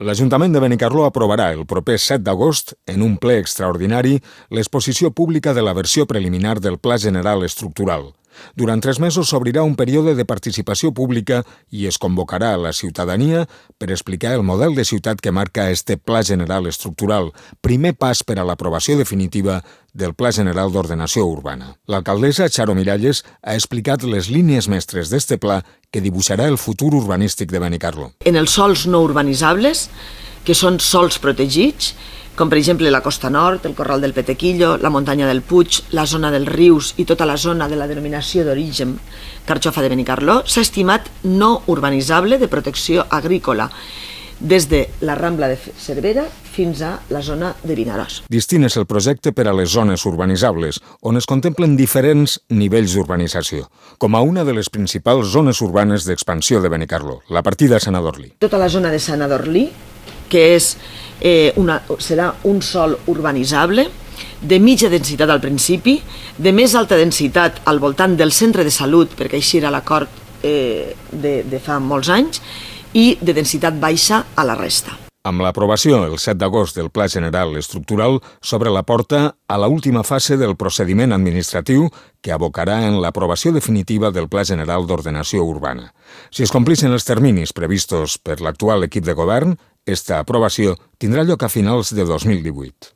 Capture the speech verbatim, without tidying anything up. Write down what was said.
L'Ajuntament de Benicarló aprovarà el proper set d'agost, en un ple extraordinari, l'exposició pública de la versió preliminar del Pla General Estructural. Durant tres mesos s'obrirà un període de participació pública i es convocarà a la ciutadania per explicar el model de ciutat que marca este Pla General Estructural, primer pas per a l'aprovació definitiva del Pla General d'Ordenació Urbana. L'alcaldessa Charo Miralles ha explicat les línies mestres d'este pla que dibuixarà el futur urbanístic de Benicarló. En els sòls no urbanitzables, que són sòls protegits, com per exemple la Costa Nord, el Corral del Petequillo, la Muntanya del Puig, la zona dels rius i tota la zona de la denominació d'origen Carxofa de Benicarló, s'ha estimat no urbanitzable de protecció agrícola, des de la Rambla de Cervera fins a la zona de Vinaròs. Distint és el projecte per a les zones urbanitzables, on es contemplen diferents nivells d'urbanització, com a una de les principals zones urbanes d'expansió de Benicarló, la partida Sant Adorlí. Tota la zona de Sant Adorlí, que és, eh, una, serà un sòl urbanitzable, de mitja densitat al principi, de més alta densitat al voltant del centre de salut, perquè així era l'acord eh, de, de fa molts anys, i de densitat baixa a la resta. Amb l'aprovació el set d'agost del Pla General Estructural s'obre la porta a l'última fase del procediment administratiu que abocarà en l'aprovació definitiva del Pla General d'Ordenació Urbana. Si es complissin els terminis previstos per l'actual equip de govern, esta aprovació tindrà lloc a finals de dos mil divuit.